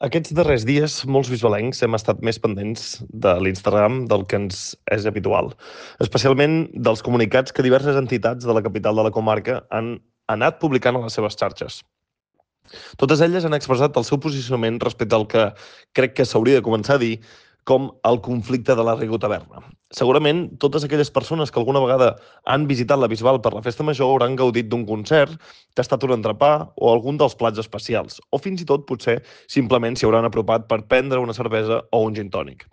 Aquests darrers dies, molts bisbalencs hem estat més pendents de l'Instagram del que ens és habitual, especialment dels comunicats que diverses entitats de la capital de la comarca han anat publicant a les seves xarxes. Totes elles han expressat el seu posicionament respecte al que crec que s'hauria de començar a dir com el conflicte de la Rigotaverna. Segurament, totes aquelles persones que alguna vegada han visitat la Bisbal per la Festa Major hauran gaudit d'un concert, tastat un entrepà o algun dels plats especials, o fins i tot, potser, simplement s'hi hauran apropat per prendre una cervesa o un gin tònic.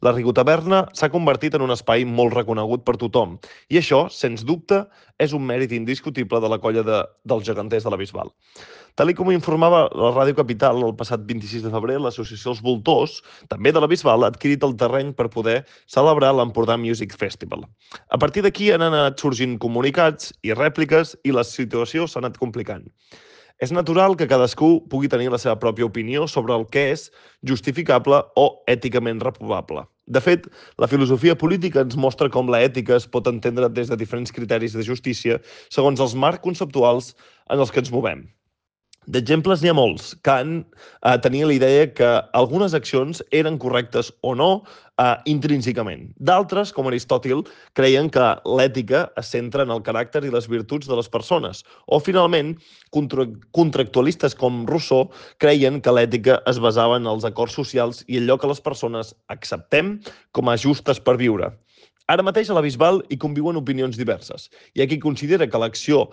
La Rigotaverna s'ha convertit en un espai molt reconegut per tothom, i això, sens dubte, és un mèrit indiscutible de la colla dels geganters de la Bisbal. Tal com informava la Ràdio Capital el passat 26 de febrer, l'associació Els Voltors, també de la Bisbal, ha adquirit el terreny per poder celebrar l'Empordà Music Festival. A partir d'aquí han anat sorgint comunicats i rèpliques i la situació s'ha anat complicant. És natural que cadascú pugui tenir la seva pròpia opinió sobre el que és justificable o èticament reprovable. De fet, la filosofia política ens mostra com l'ètica es pot entendre des de diferents criteris de justícia segons els marcs conceptuals en els que ens movem. D'exemples n'hi ha molts. Kant tenia la idea que algunes accions eren correctes o no intrínsecament. D'altres, com Aristòtil, creien que l'ètica es centra en el caràcter i les virtuts de les persones. O, finalment, contractualistes com Rousseau creien que l'ètica es basava en els acords socials i allò que les persones acceptem com a justes per viure. Ara mateix a la Bisbal hi conviuen opinions diverses. Hi ha qui considera que l'acció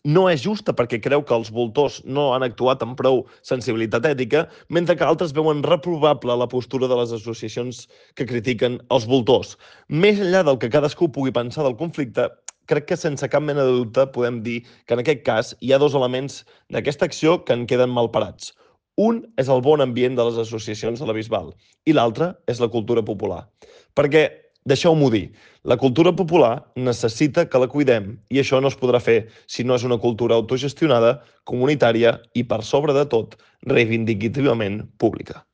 no és justa perquè creu que els voltors no han actuat amb prou sensibilitat ètica, mentre que altres veuen reprovable la postura de les associacions que critiquen els voltors. Més enllà del que cadascú pugui pensar del conflicte, crec que sense cap mena de dubte podem dir que en aquest cas hi ha dos elements d'aquesta acció que en queden malparats. Un és el bon ambient de les associacions de la Bisbal i l'altre és la cultura popular. Perquè, deixeu-m'ho dir, la cultura popular necessita que la cuidem i això no es podrà fer si no és una cultura autogestionada, comunitària i, per sobre de tot, reivindicativament pública.